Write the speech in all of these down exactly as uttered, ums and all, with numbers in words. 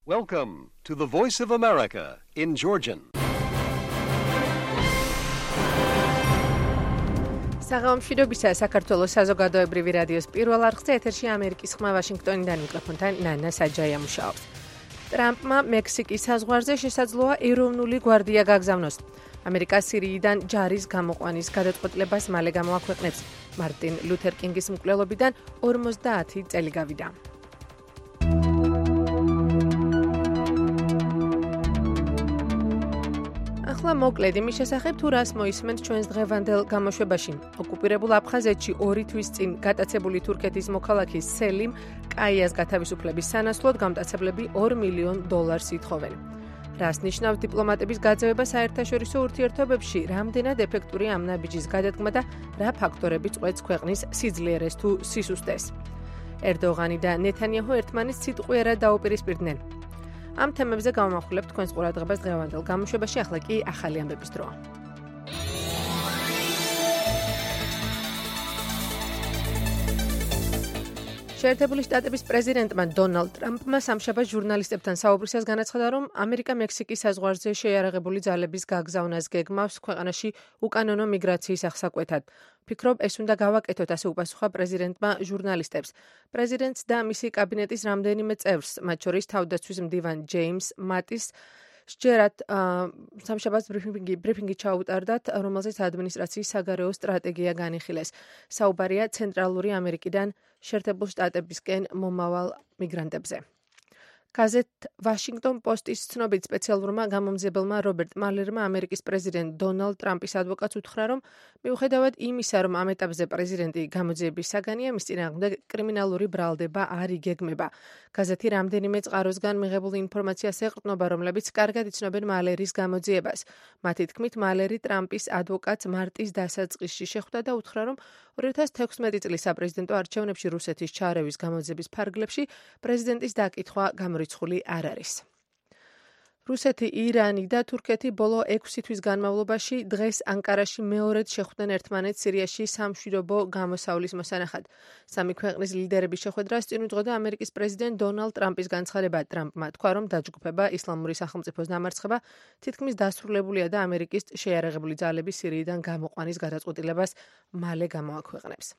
Welcome to the Voice of America in Georgian. საღამომშვიდობისა საქართველოს საზოგადოებრივი რადიოს პირველ არხზე ეთერში ამერიკის ხმა ვაშინგტონიდან მიკროფონთან ნანა საჯაია მუშაობს. ტრამპმა მექსიკის საზღვარზე შესაძლოა ეროვნული გვარდია გაგზავნოს. ამერიკა სირიიდან ჯარის გამოყვანის გადაწყვეტილებას მალე გამოაქვეყნებს. მარტინ ლუთერ კინგის მკვლელობიდან ორმოცდაათი წელი გავიდა. ახლა მოკლედ იმის შესახებ თუ რას მოისმენთ ჩვენს დღევანდელ გამოშვებაში. ოკუპირებულ აფხაზეთში ორი თვის წინ გატაცებული თურქეთის მოქალაქის სელიმ კაიას გათავისუფლების სანაცვლოდ გამტაცებლები ორ მილიონ დოლარს ითხოვენ. რას ნიშნავს დიპლომატების გაძევება საერთაშორისო ურთიერთობებში, რამდენად ეფექტური ამ ნაბიჯის გადადგმა და რა ფაქტორები წყვეტს ქვეყნის სიძლიერეს თუ სისუსტეს. ერდოღანი და ნეთანიაჰუ ერთმანეთს სიტყვიერად დაუპირისპირდნენ. ამ თემებზე გავამახვილებთ თქვენს ყურადღებას დღევანდელ გამოშვებაში, ახლა კი ახალი ამბების დროა. შეერთებული შტატების პრეზიდენტმა დონალდ ტრამპმა სამშაბათს ჟურნალისტებთან საუბრისას განაცხადა, რომ ამერიკა მექსიკის საზღვარზე შეიარაღებული ძალების გაგზავნას გეგმავს ქვეყანაში უკანონო მიგრაციის აღსაკვეთად. ფიქრობ, ეს უნდა გავაკეთოთ, ასე უპასუხა პრეზიდენტმა ჟურნალისტებს. პრეზიდენტს და მისი კაბინეტის რამდენიმე წევრს, მათ შორის თავდაცვის მდივან ჯეიმს მატის სჯერათ სამშაბათს ბრიფინგი ბრიფინგი ჩაუტარდათ, რომელზეც ადმინისტრაციის საგარეო სტრატეგია განიხილეს. საუბარია ცენტრალური ამერიკიდან შეერთებულ შტატებისკენ მომავალ მიგრანტებზე. გაზეთ ვაშინგტონ პოსტის ცნობით სპეციალურმა გამომძიებელმა რობერტ მალერმა ამერიკის პრეზიდენტ დონალდ ტრამპის ადვოკატს უთხრა, რომ მიუხედავად იმისა, რომ ამ ეტაპზე პრეზიდენტი გამოძიების საგანია, მის წინააღმდეგ კრიმინალური ბრალდება არ იგეგმება. გაზეთი რამდენიმე წყაროსგან მიღებულ ინფორმაციას ეყრდნობა, რომლებიც კარგად იცნობენ მალერის გამოძიებას. მათი თქმით, მალერი ტრამპის ადვოკატს მარტის დასაწყისში შეხვდა და უთხრა, რომ ორი ათას თექვსმეტი წლის საპრეზიდენტო არჩევნებში რუსეთის ჩარევის გამოძიების ფარგლებში პრეზიდენტის დაკითხვა გამორიცხული არ არის. რუსეთი, ირანი და თურქეთი ბოლო ექვსი თვის განმავლობაში დღეს ანკარაში მეორედ შეხვდნენ ერთმანეთს სირიაში სამშვიდობო გამოსავლის მოსანახად. სამი ქვეყნის ლიდერების შეხვედრას წინ უძღოდა ამერიკის პრეზიდენტ დონალდ ტრამპის განცხადება. ტრამპმა თქვა, რომ დაჯგუფება ისლამური სახელმწიფოს დამარცხება თითქმის დასრულებულია და ამერიკის შეიარაღებული ძალები სირიიდან გამოყვანის გადაწყვეტილებას მალე გამოაქვეყნებს.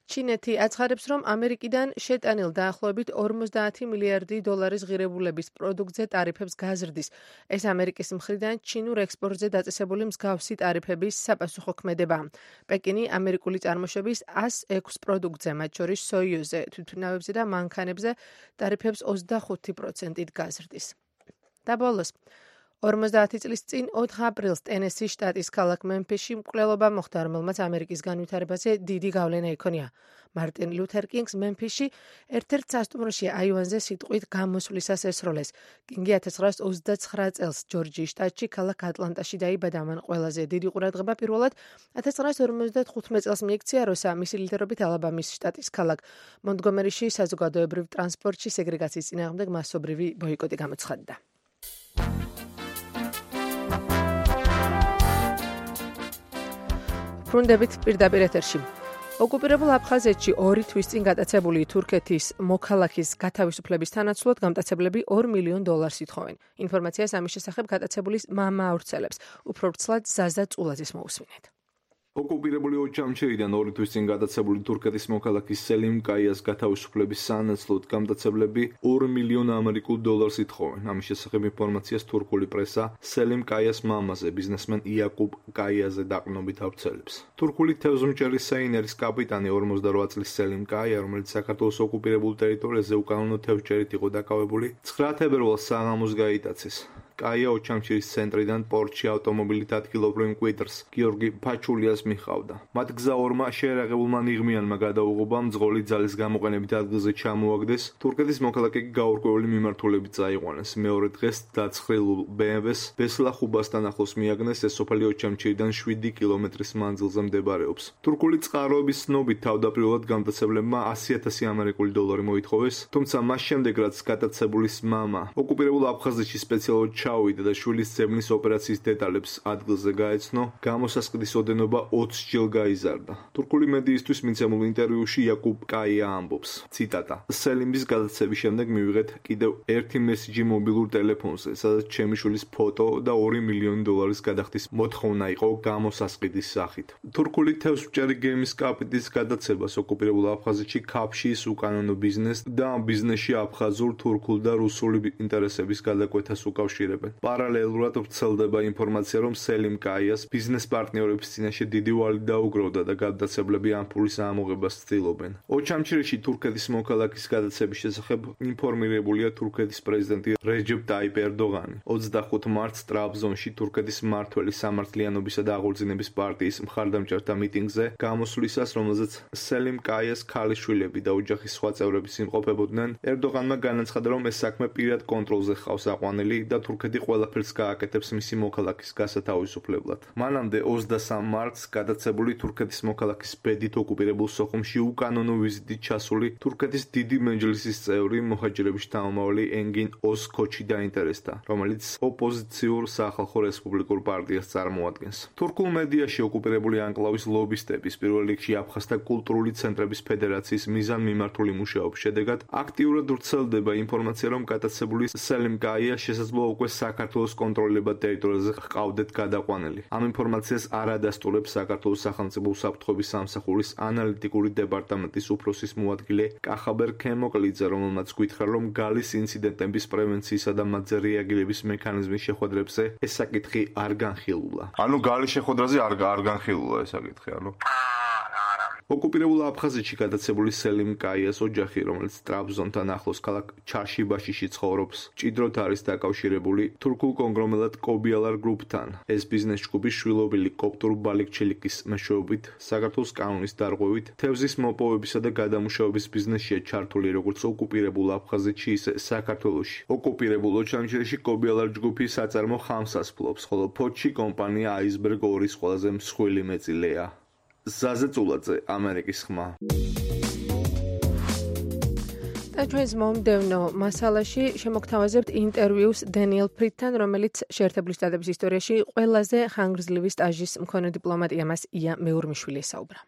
ჩინეთი აცხადებს, რომ ამერიკიდან შეტანილ დაახლოებით ორმოცდაათი მილიარდი დოლარის ღირებულების პროდუქტზე ტარიფებს გაზრდის. ეს ამერიკის მხრიდან ჩინურ ექსპორტზე დაწესებული მსგავსი ტარიფების საპასუხო ქმედებაა. პეკინი ამერიკული წარმოშობის ასი ექვსი პროდუქტზე, მათ შორის სოიოზე, თვითმფრინავებზე და მანქანებზე ტარიფებს ოცდახუთი პროცენტით გაზრდის. და ბოლოს ორმოცდაათი წლის წინ ოთხ აპრილს ტენესის შტატის ქალაქ მემფისში მკვლელობა მოხდა, რომელმაც ამერიკის განვითარებაზე დიდი გავლენა იქონია. მარტინ ლუთერ კინგს მემფისში ერთ-ერთ სასტუმროში აივანზე სიტყვით გამოსვლისას ესროლეს. კინგი ათას ცხრაას ოცდაცხრა წელს ჯორჯიის შტატში ქალაქ ატლანტაში დაიბადა. მან ყველაზე დიდი ყურადღება პირველად ათას ცხრაას ორმოცდათხუთმეტ წელს მიექცია, როცა მისი ლიდერობით ალაბამის შტატის ქალაქ მონტგომერიში საზოგადოებრივ ტრანსპორტში სეგრეგაციის წინააღმდეგ მასობრივი ბოიკოტი გამოცხადდა. ბრუნდებით პირდაპირ ეთერში. ოკუპირებულ აფხაზეთში ორი თვის წინ გატაცებული თურქეთის მოქალაქის გათავისუფლების სანაცვლოდ გამტაცებლები ორ მილიონ დოლარს ითხოვენ. ინფორმაციას ამის შესახებ გატაცებულის მამა ავრცელებს. უფრო ვრცლად ზაზა წულაძის მოусმინეთ. ოკუპირებული ოჯამშერიდან ორი თვის წინ გადაცებული თურქეთის მოქალაქის სელიმ კაიას გათავისუფლების სანაცვლოდ გამტაცებლები ორ მილიონ ამერიკულ დოლარს ითხოვენ. ამის შესახებ ინფორმაციას თურქული პრესა სელიმ კაიას მამაზე, ბიზნესმენ იაკუბ კაიაზე დაყრდნობით ავრცელებს. თურქული თევზმჭერის საინერის კაპიტანი ორმოცდარვა წლის სელიმ კაია, რომელიც საქართველოს ოკუპირებულ ტერიტორიაზე უკანონო თევზჭერით იყო დაკავებული, ცხრა თებერვალს საღამოს გაიტაცეს. კაია ოჩამჩირის ცენტრიდან პორტში ავტომობილით ადგილობრივ მკვიდრს გიორგი ფაჩულიას მიჰყავდა. მათ გზა ორმა შეიარაღებულმა ნიღმიანმა გადაუღობა, მძღოლი ძალის გამოყენებით ადგილზე ჩამოაგდეს, თურქეთის მოქალაქე გაურკვეველი მიმართულებით წაიყვანეს. მეორე დღეს დაცხრილულ ბე ემ ვეს ბესლახუბასთან ახლოს მიაგნეს, ეს სოფელი ოჩამჩირიდან შვიდი კილომეტრის მანძილზე მდებარეობს. თურქული წყაროების ცნობით თავდაპირველად გამტაცებლებმა ასი ათასი ამერიკული დოლარი მოითხოვეს, თუმცა მას შემდეგ რაც გატაცებულის მამა ოკუპირებულ აფხაზეთში სპეციალურად ჩაუვიდა და შვილის ძებნის ოპერაციის დეტალებს ადგილზე გაეცნო, გამოსასყიდის ოდენობა ოცი ჯერ გაიზარდა. თურქული მედიისთვის მიცემულ ინტერვიუში იაკუბ კაია ამბობს, ციტატა: სელიმის გადაცემის შემდეგ მივიღეთ კიდევ ერთი მესიჯი მობილურ ტელეფონზე, სადაც ჩემი შვილის ფოტო და ორი მილიონი დოლარის გადახდის მოთხოვნა იყო გამოსასყიდის სახით. თურქული თევზჭერი გემის კაპიტნის გადაცებას ოკუპირებულ აფხაზეთში ქაფშის უკანონო ბიზნეს და ამ ბიზნესში აფხაზურ, თურქულ და რუსული ინტერესების გადაკვეთას უკავშირებენ. პარალელურად ვრცელდება ინფორმაცია, რომ სელიმ კაიას ბიზნეს პარტნიორების წინაშე დიდი ვალი დაუგროვდა და გადაცებლები ამ ფულის ამოღებას ცდილობენ. ოჩამჩირეში თურქეთის მოქალაქის გადაცემის შესახებ ინფორმირებულია თურქეთის პრეზიდენტი რეჯეპ ტაიპ ერდოღანი. ოცდახუთი მარტს ტრაბზონში თურქეთის მმართველი სამართლიანობისა და აღორძინების პარტიის მხარდამჭერთა მიტინგზე გამოსვლისას, რომელზეც სელიმ კაიას ქალიშვილები და ოჯახის სხვა წევრები იმყოფებოდნენ, ერდოღანმა განაცხადა, რომ ეს საქმე პირად კონტროლზე ხავს აყვანილი და თურქეთი ყველაფერს გააკეთებს მისი მოქალაქის გასათავისუფლებლად. მანამდე ოცდასამ მარტს გადაცებული თურქეთის მოქალაქის ბედით ოკუპირებულ სოხუმში უკანონო ვიზიტით ჩასული თურქეთის დიდი მეჯლისის წევრი მოჰაჯირების შთამომავალი ენგინ ოზქოჩი დაინტერესდა, რომელიც ოპოზიციურ სახალხო რესპუბლიკურ პარტიას წარმოადგენს. თურქულ მედიაში ოკუპირებული ანკლავის ლობისტების პირველ რიგში აფხაზთა კულტურული ცენტრების ფედერაციის მიზანმიმართული მუშაობის შედეგად აქტიურად ვრცელდება ინფორმაცია, რომ გადაცებული სელიმ კაია შესაძლოა უკვე საქართველოს კონტროლებად ტერიტორიაზე ჰყავდეთ გადაყვანილი. ამ ინფორმაციას არ ადასტურებს საქართველოს სახელმწიფო უსაფრთხოების სამსახურის ანალიტიკური დეპარტამენტის უფროსის მოადგილე კახაბერ ქემოკლიძე, რომელმაც გითხრა, რომ გალის ინციდენტების პრევენციისა და მათზე რეაგირების მექანიზმის შეხვედრებზე ეს საკითხი არ განხილულა. ანუ გალის შეხვედრაზე არ არ განხილულა ეს საკითხი, ანუ ოკუპირებულ აფხაზეთში გადაცებული სელიმ კაიას ოჯახი, რომელიც ტრაბზონთან ახლოს ქალაქ ჩარშიბაშიში ცხოვრობს, მჭიდროდ არის დაკავშირებული თურქულ კონგლომერატ კობიალარ გრუპთან. ეს ბიზნეს ჯგუფი შვილობილი კოპტურ ბალიქჩილიკის მეშვეობით, საქართველოს კანონის დარღვევით, თევზის მოპოვებისა და გადამუშავების ბიზნესშია ჩართული როგორც ოკუპირებულ აფხაზეთში, ისე საქართველოში. ოკუპირებულ ოჩამჩირეში კობიალარ ჯგუფი საწარმო ხამსას ფლობს, ხოლო ფოთში კომპანია აისბერგ ორის ყველაზე მსხვილი მეწილეა. ზაზე წულაძე, ამერიკის ხმა. და ჩვენს მომდევნო მასალაში შემოგთავაზებთ ინტერვიუს დენიელ ფრიდთან, რომელიც შეერთებული შტატების ისტორიაში ყველაზე ხანგრძლივი სტაჟის მქონე დიპლომატია, მას ია მეურმიშვილი ესაუბრა.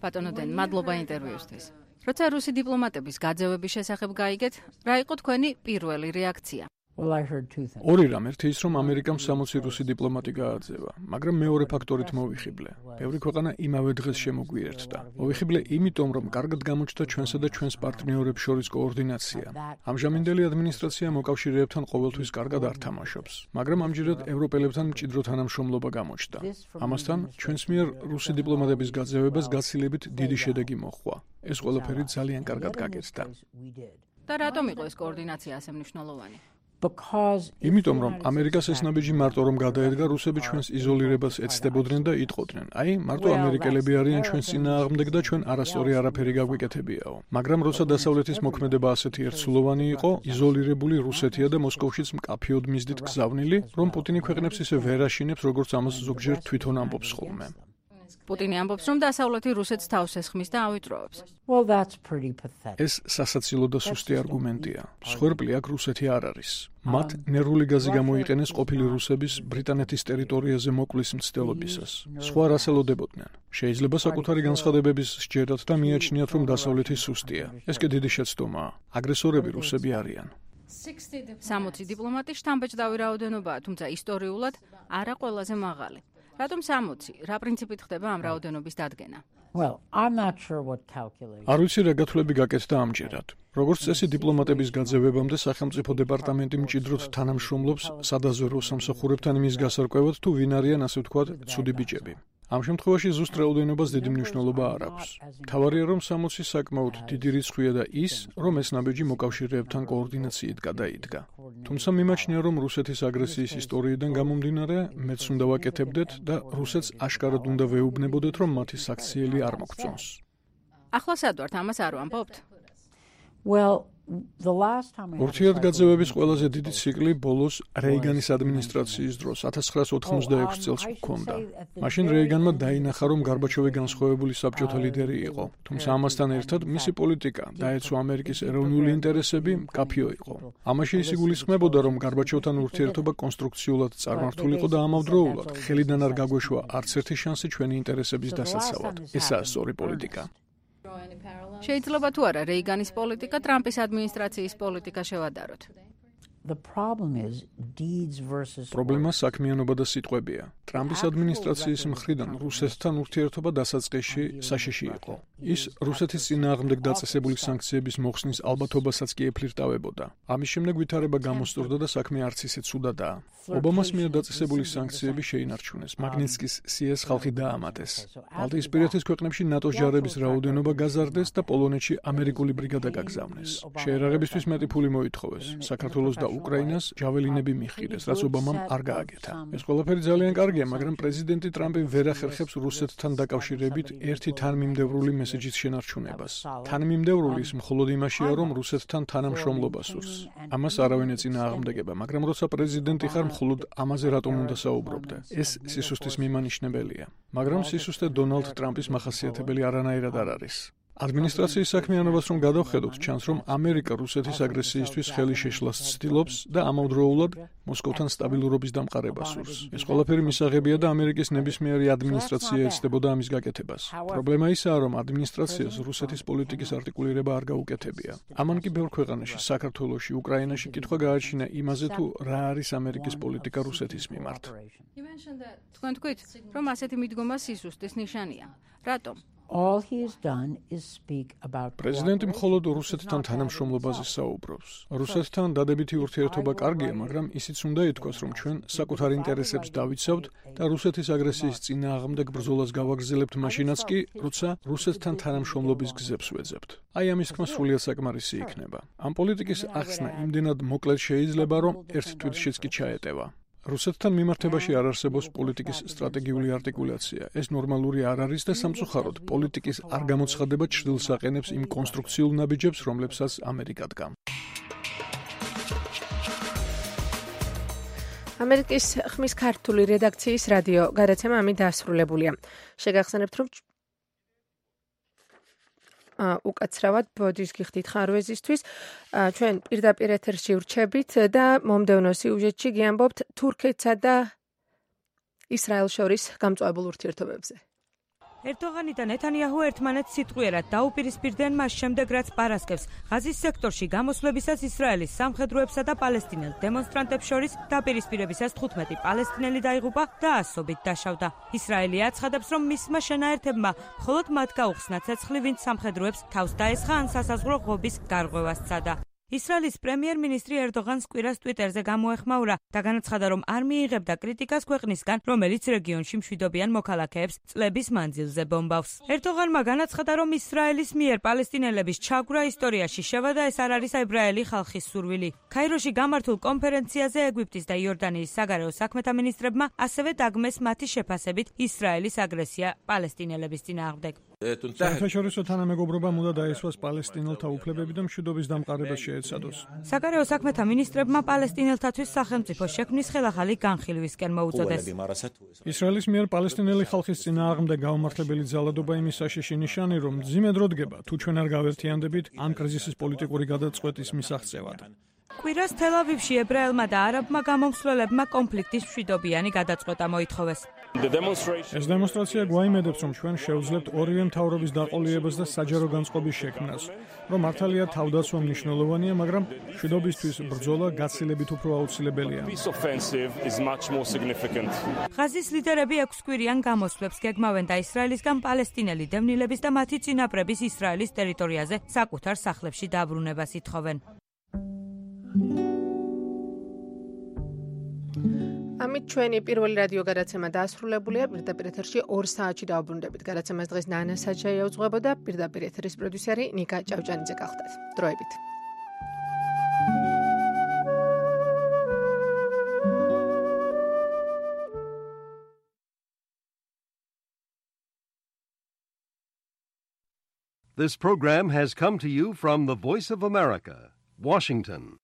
ბატონო დენ, მადლობა ინტერვიუსთვის. როცა რუსი დიპლომატების გაძევების შესახებ გაიგეთ, რა იყო თქვენი პირველი რეაქცია? ორი რამ, ერთი ის, რომ ამერიკამ სამოცი რუსი დიპლომატი გააძევა, მაგრამ მეორე ფაქტორით მოვიხიბლე. ბევრი ქვეყანა იმავე დღეს შემოგვიერთდა. მოვიხიბლე იმიტომ, რომ კარგად გამოჩნდა ჩვენსა და ჩვენს პარტნიორებს შორის კოორდინაცია. ამჟამინდელი ადმინისტრაცია მოკავშირეებთან ყოველთვის კარგად არ თამაშობს, მაგრამ ამჯერად ევროპელებთან მჭიდრო თანამშრომლობა გამოჩნდა. ამასთან, ჩვენს მიერ რუსი დიპლომატების გაძევებას გაცილებით დიდი შედეგი მოჰყვა. ეს ყველაფერი ძალიან კარგად გაკეთდა. და რატომ იყო ეს კოორდინაცია ასე მნიშვნელოვანი? იმიტომ რომ ამერიკას ეს ნაბიჯი მარტო რომ გადაედგა, რუსები ჩვენს იზოლირებას ეცდებოდნენ და იტყოდნენ. აი, მარტო ამერიკელები არიან ჩვენს წინააღმდეგ და ჩვენ არასწორი არაფერი გაგვიკეთებიაო. მაგრამ როცა დასავლეთის მოქმედება ასეთი ერთსულოვანი იყო, იზოლირებული რუსეთია და მოსკოვშიც მკაფიოდ მისდით გზავნილი, რომ პუტინი ქვეყნებს ისე ვერ აშინებს, როგორც ამას ზოგჯერ თვითონ ამბობს ხოლმე. პუტინი ამბობს, რომ დასავლეთი რუსეთს თავს ესხმის და ავიწროებს. ეს სასაცილო და სუსტი არგუმენტია. მსხვერპლი აქ რუსეთი არ არის. მათ ნერვული გაზი გამოიყენეს ყოფილი რუსების ბრიტანეთის ტერიტორიაზე მოკლის მცდელობისას. სხვა რას ელოდებოდნენ? შეიძლება საკუთარი განცხადებების სჯერათ და მიაჩნიათ, რომ დასავლეთი სუსტია. ეს კი დიდი შეცდომაა. აგრესორები რუსები არიან. სამოცი დიპლომატი შთამბეჭდავი რაოდენობაა, თუმცა ისტორიულად არა ყველაზე მაღალი. რატომ სამოცი? რა პრინციპით ხდება ამ რაოდენობის დადგენა? არ ვიცი რა გათვლები გაკეთდა ამჯერად. როგორც წესი დიპლომატების გაძევებამდე სახელმწიფო დეპარტამენტი მჭიდროდ თანამშრომლობს სადაზვერვო სამსახურებთან იმის გასარკვევად, თუ ვინ არიან ასე ვთქვათ ცუდი ბიჭები. ამ შემთხვევაში ზუსტ რაოდენობას დიდი მნიშვნელობა არ აქვს. მთავარია, რომ სამოცი საკმაოდ დიდი რიცხვია და ის, რომ ეს ნაბიჯი მოკავშირეებთან კოორდინაციით გადაიდგა. თუმცა მიმაჩნია, რომ რუსეთის აგრესიის ისტორიიდან გამომდინარე, მეც უნდა ვაკეთებდეთ და რუსეთს აშკარად უნდა ვეუბნებოდეთ, რომ მათი საქციელი არ მოგწონს. ახლა სად ვართ, ამას არ ვამბობთ? ურთიერთგაწევების ყველაზე დიდი ციკლი ბოლოს რეიგანის ადმინისტრაციის დროს ათას ცხრაას ოთხმოცდაექვსი წელს ჰქონდა. მაშინ რეიგანმა დაინახა, რომ გარბაჩოვი განსხვავებული საბჭოთა ლიდერი იყო, თუმცა ამასთან ერთად მისი პოლიტიკა დაეცვა ამერიკის ეროვნული ინტერესები, მკაფიო იყო. ამაში ის იგულისხმებოდა, რომ გარბაჩოვთან ურთიერთობა კონსტრუქციულად წარმართულიყო და ამავდროულად ხელიდან არ გაგვეშვა არც ერთი შანსი ჩვენი ინტერესების დასაცავად. ესაა სწორი პოლიტიკა. შეიძლება თუ არა რეიგანის პოლიტიკა ტრამპის ადმინისტრაციის პოლიტიკა შევადაროთ. პრობლემა საქმიანობა და სიტყვებია. ტრამპის ადმინისტრაციის მხრიდან რუსეთთან ურთიერთობა დასაწყისში საშიში იყო. ის რუსეთის წინააღმდეგ დაწესებული სანქციების მოხსნის ალბათობასაც კი ეფლირტავებოდა. ამის შემდეგ ვითარება გამოსწორდა და საქმე არც ისე ცუდადაა. ობამას მიერ დაწესებული სანქციები შეინარჩუნეს. მაგნიტსკის სიეს ხალხი დაამატეს. ბალტიისპირეთის ქვეყნებში ნატოს ჯარების რაოდენობა გაზარდეს და პოლონეთში ამერიკული ბრიგადა გაგზავნეს. შეერაღებისთვის მეტი ფული მოითხოვეს. საქართველოს და უკრაინას ჯაველინები მიჰყიდეს, რაც ობამამ არ გააკეთა. ეს ყველაფერი ძალიან კარგია, მაგრამ პრეზიდენტი ტრამპი ვერ ახერხებს რუსეთთან დაკავშირებით ერთი თანმიმდევრული მესეჯის შენარჩუნებას. თანმიმდევრული ის მხოლოდ იმაშია, რომ რუსეთთან თანამშრომლობა სურს. ამას არავინ ეწინააღმდეგება, მაგრამ როცა პრეზიდენტი ხარ, მხოლოდ ამაზე რატომ უნდა საუბრობდე? ეს სისუსტის მიმანიშნებელია. მაგრამ სისუსტე დონალდ ტრამპის მახასიათებელი არანაირად არ არის. ადმინისტრაციის საქმიანობას რომ გადავხედოთ, ჩანს, რომ ამერიკა რუსეთის აგრესიისთვის ხელი შეშლას ცდილობს და ამავდროულად მოსკოვთან სტაბილურობის დამყარებას სურს. ეს ყველაფერი მისაღებია და ამერიკის ნებისმიერი ადმინისტრაცია ეცდებოდა ამის გაკეთებას. პრობლემა ისაა, რომ ადმინისტრაციას რუსეთის პოლიტიკის არტიკულირება არ გაუკეთებია. ამან კი ბევრ ქვეყანაში, საქართველოში, უკრაინაში კითხვა გააჩინა იმაზე, თუ რა არის ამერიკის პოლიტიკა რუსეთის მიმართ. თქვენ თქვით, რომ ასეთი მიდგომა სისუსტის ნიშანია. რატომ? პრეზიდენტი მხოლოდ რუსეთთან თანამშრომლობაზე საუბრობს. რუსეთთან დადებითი ურთიერთობა კარგია, მაგრამ ისიც უნდა ითქვას, რომ ჩვენ საკუთარ ინტერესებს დავიცავთ და რუსეთის აგრესიის წინააღმდეგ ბრძოლას გავაგრძელებთ მაშინაც კი, როცა რუსეთთან თანამშრომლობის გზებს ვეძებთ. აი ამის თქმა სრულიად საკმარისი იქნება. ამ პოლიტიკის ახსნა იმდენად მოკლედ შეიძლება, რომ ერთ თვითშიც კი ჩაეტევა. რუსეთთან მიმართებაში არ არსებობს პოლიტიკის სტრატეგიული არტიკულაცია. ეს ნორმალური არ არის და სამწუხაროდ პოლიტიკის არ გამოცხადება ჩრდილს აყენებს იმ კონსტრუქციულ ნაბიჯებს, რომლებსაც ამერიკა დგამს. ამერიკის ხმის ქართული რედაქციის რადიო გადაცემა ამით დასრულებულია. შეგახსენებთ, რომ უკაცრავად ბოდის გიხდით ხარვეზისთვის ჩვენ პირდაპირ ეთერში ვრჩებით და მომდევნო სიუჟეტში გიამბობთ თურქეთსა და ისრაელს შორის გამწვავებულ ურთიერთობებზე. ერდოღანი და ნეთანიაჰუ ერთმანეთს სიტყვიერად დაუპირისპირდნენ მას შემდეგ, რაც პარასკევს ღაზის სექტორში გამოსვლებისას ისრაელის სამხედროებსა და პალესტინელ დემონსტრანტებს შორის დაპირისპირებისას თხუთმეტი პალესტინელი დაიღუპა და ასობით დაშავდა. ისრაელი აცხადებს, რომ მისმა შენაერთებმა მხოლოდ მათ გაუხსნა ცეცხლი, ვინც სამხედროებს თავს დაესხა ან სასაზღვრო ღობის გარღვევას სცადა. ისრაელის პრემიერ-მინისტრი ერდოღანს კვირას ტვიტერზე გამოეხმაურა და განაცხადა, რომ არ მიიღებდა კრიტიკას ქვეყნისგან, რომელიც რეგიონში მშვიდობიან მოქალაქეებს წლების მანძილზე ბომბავს. ერდოღანმა განაცხადა, რომ ისრაელის მიერ პალესტინელების ჩაგვრა ისტორიაში შევა და ეს არ არის ებრაელი ხალხის სურვილი. ქაიროში გამართულ კონფერენციაზე ეგვიპტის და იორდანიის საგარეო საქმეთა მინისტრებმა ასევე დაგმეს მათი შეფასებით ისრაელის აგრესია პალესტინელების წინააღმდეგ. საერთაშორისო თანამეგობრობამ უნდა დაესვას პალესტინელთა უფლებები და მშვიდობის დამყარებას შეეცადოს. საგარეო საქმეთა მინისტრებმა პალესტინელთათვის სახელმწიფო შექმნის ხელახალი განხილვისკენ მოუწოდეს. ისრაელის მიერ პალესტინელი ხალხის წინააღმდეგ გაუმართლებელი ძალადობა იმის საშიში ნიშანი, რომ მძიმე დრო დგება, თუ ჩვენ არ გავერთიანდებით ამ კრიზისის პოლიტიკური გადაწყვეტის მისაღწევად. კვირას თელ-ავივში ებრაელმა და არაბმა გამომსვლელებმა კონფლიქტის მშვიდობიანი გადაწყვეტა მოითხოვეს. ეს დემონსტრაცია გვაიმედებს, რომ ჩვენ შევძლებთ ორივე მთავრობის დაყოლიებას და საჯარო განწყობის შექმნას, რომ მართალია თავდაცვა მნიშვნელოვანია, მაგრამ მშვიდობისთვის ბრძოლა გაცილებით უფრო აუცილებელია. ღაზის ლიდერები ექვსკვირიან გამოსვლებს გეგმავენ და ისრაელისგან პალესტინელი დევნილების და მათი წინაპრების ისრაელის ტერიტორიაზე საკუთარ სახლებში დაბრუნებას ითხოვენ. ამით ჩვენი პირველი რადიო გადაცემა დასრულებულია. პირდაპირ ეთერში ორ საათში დავბრუნდებით. გადაცემას დღეს ნანა საჩაია უძღვებოდა, პირდაპირ ეთერის პროდიუსერი ნიკა ჭავჭანიძე გახლდათ. დროებით. This program has come to you from the Voice of America, Washington.